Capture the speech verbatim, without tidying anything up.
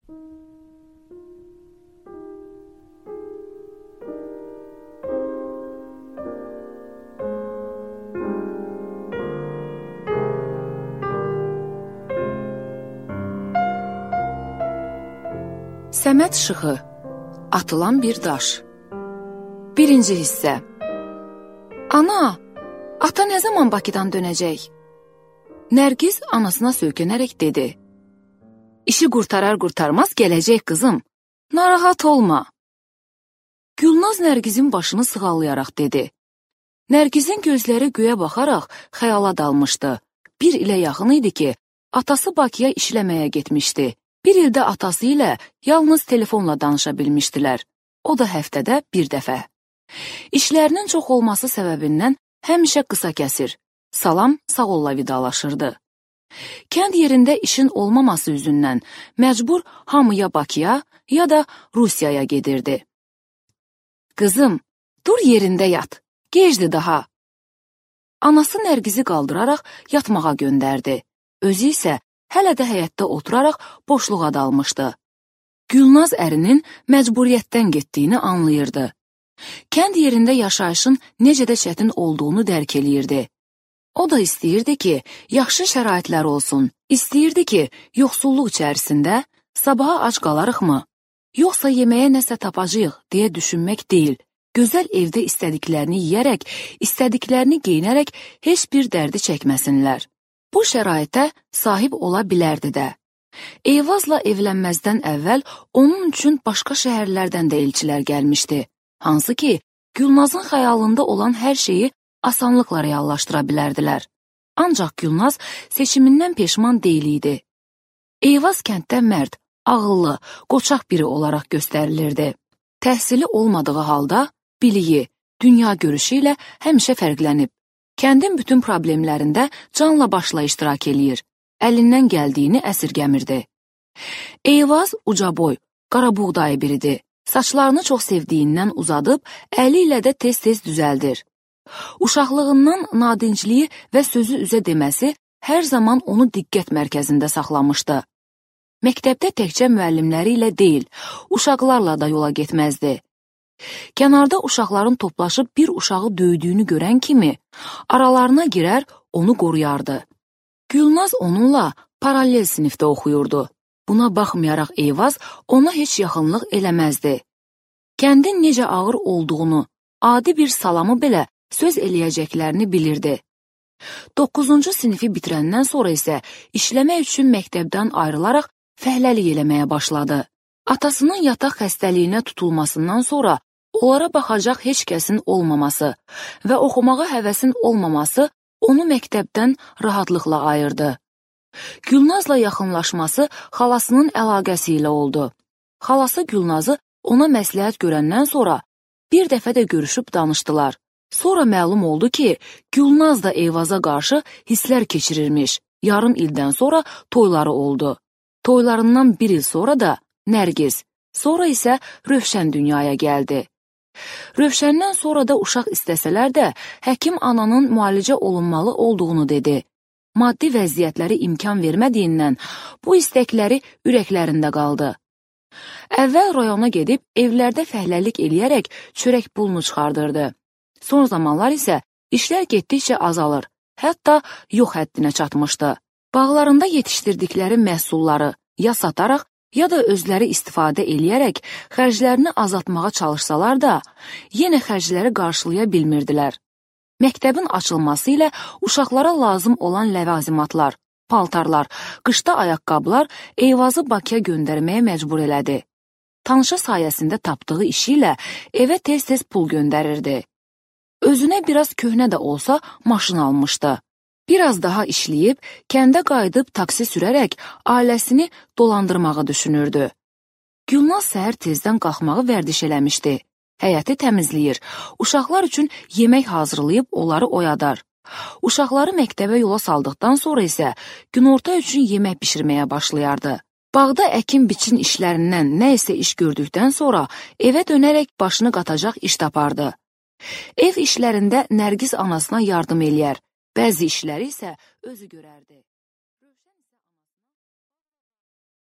Səməd Şıxı, atılan bir daş. Birinci hissə. Ana, ata nə zaman Bakıdan dönəcək? Nərgiz anasına söykənərək dedi. İşi qurtarar qurtarmaz gələcək qızım, narahat olma. Gülnaz Nərgizin başını sığallayaraq dedi. Nərgizin gözləri göyə baxaraq xəyala dalmışdı. Bir ilə yaxın idi ki, atası Bakıya işləməyə getmişdi. Bir ildə atası ilə yalnız telefonla danışa bilmişdilər. O da həftədə bir dəfə. İşlərinin çox olması səbəbindən həmişə qısa kəsir. Salam, sağ olla vidalaşırdı. Kənd yerində işin olmaması üzündən məcbur hamı ya Bakıya, ya da Rusiyaya gedirdi. Qızım, dur yerində yat, gecdi daha. Anası Nərgizi qaldıraraq yatmağa göndərdi. Özü isə hələ də həyətdə oturaraq boşluğa dalmışdı. Gülnaz ərinin məcburiyyətdən getdiyini anlayırdı. Kənd yerində yaşayışın necə də çətin olduğunu dərk eləyirdi. O da istəyirdi ki, yaxşı şəraitlər olsun. İstəyirdi ki, yoxsulluq içərisində sabaha ac qalarıqmı? Yoxsa yeməyə nəsə tapacağıq deyə düşünmək deyil. Gözəl evdə istədiklərini yeyərək, istədiklərini geyinərək heç bir dərdi çəkməsinlər. Bu şəraitə sahib ola bilərdi də. Eyvazla evlənməzdən əvvəl onun üçün başqa şəhərlərdən də elçilər gəlmişdi. Hansı ki, Gülnazın xəyalında olan hər şeyi asanlıqla reallaşdıra bilərdilər. Ancaq Gülnaz seçimindən peşman deyil idi. Eyvaz kənddə mərd, ağıllı, qoçaq biri olaraq göstərilirdi. Təhsili olmadığı halda biliyi, dünya görüşü ilə həmişə fərqlənib. Kəndin bütün problemlərində canla başla iştirak eləyir. Əlindən gəldiyini əsirgəmirdi. Eyvaz ucaboy, qarabuğdayı biridir. Saçlarını çox sevdiyindən uzadıb, əli ilə də tez-tez düzəldir. Uşaqlığından nadincliyi və sözü üzə deməsi hər zaman onu diqqət mərkəzində saxlamışdı. Məktəbdə təkcə müəllimləri ilə deyil, uşaqlarla da yola getməzdi. Kənarda uşaqların toplaşıb bir uşağı döydüyünü görən kimi, aralarına girər, onu qoruyardı. Gülnaz onunla paralel sinifdə oxuyurdu. Buna baxmayaraq Eyvaz ona heç yaxınlıq eləməzdi. Kəndin necə ağır olduğunu, adi bir salamı belə söz eləyəcəklərini bilirdi. doqquzuncu sinifi bitirəndən sonra isə işləmək üçün məktəbdən ayrılaraq fəhləlik eləməyə başladı. Atasının yataq xəstəliyinə tutulmasından sonra onlara baxacaq heç kəsin olmaması və oxumağa həvəsin olmaması onu məktəbdən rahatlıqla ayırdı. Gülnazla yaxınlaşması xalasının əlaqəsi ilə oldu. Xalası Gülnazı ona məsləhət görəndən sonra bir dəfə də görüşüb danışdılar. Sonra məlum oldu ki, Gülnaz da Eyvaza qarşı hisslər keçirirmiş. Yarım ildən sonra toyları oldu. Toylarından bir il sonra da Nərgiz, sonra isə Rövşən dünyaya gəldi. Rövşəndən sonra da uşaq istəsələr də, həkim ananın müalicə olunmalı olduğunu dedi. Maddi vəziyyətləri imkan vermədiyindən bu istəkləri ürəklərində qaldı. Əvvəl rayona gedib evlərdə fəhləlik eləyərək çörək pulunu çıxardırdı. Son zamanlar isə işlər getdikcə azalır, hətta yox həddinə çatmışdı. Bağlarında yetişdirdikləri məhsulları ya sataraq, ya da özləri istifadə eləyərək xərclərini azaltmağa çalışsalar da, yenə xərcləri qarşılaya bilmirdilər. Məktəbin açılması ilə uşaqlara lazım olan ləvazimatlar, paltarlar, qışda ayaqqabılar Eyvazı Bakıya göndərməyə məcbur elədi. Tanışı sayəsində tapdığı işi ilə evə tez-tez pul göndərirdi. Özünə biraz köhnə də olsa maşın almışdı. Biraz daha işləyib, kəndə qayıdıb taksi sürərək ailəsini dolandırmağı düşünürdü. Gülnaz səhər tezdən qalxmağı vərdiş eləmişdi. Həyəti təmizləyir, uşaqlar üçün yemək hazırlayıb onları oyadar. Uşaqları məktəbə yola saldıqdan sonra isə günorta üçün yemək bişirməyə başlayardı. Bağda əkin-biçin işlərindən nə isə iş gördükdən sonra evə dönərək başını qatacaq iş tapardı. Ev işlərində Nərgiz anasına yardım eləyər, bəzi işləri isə özü görərdi.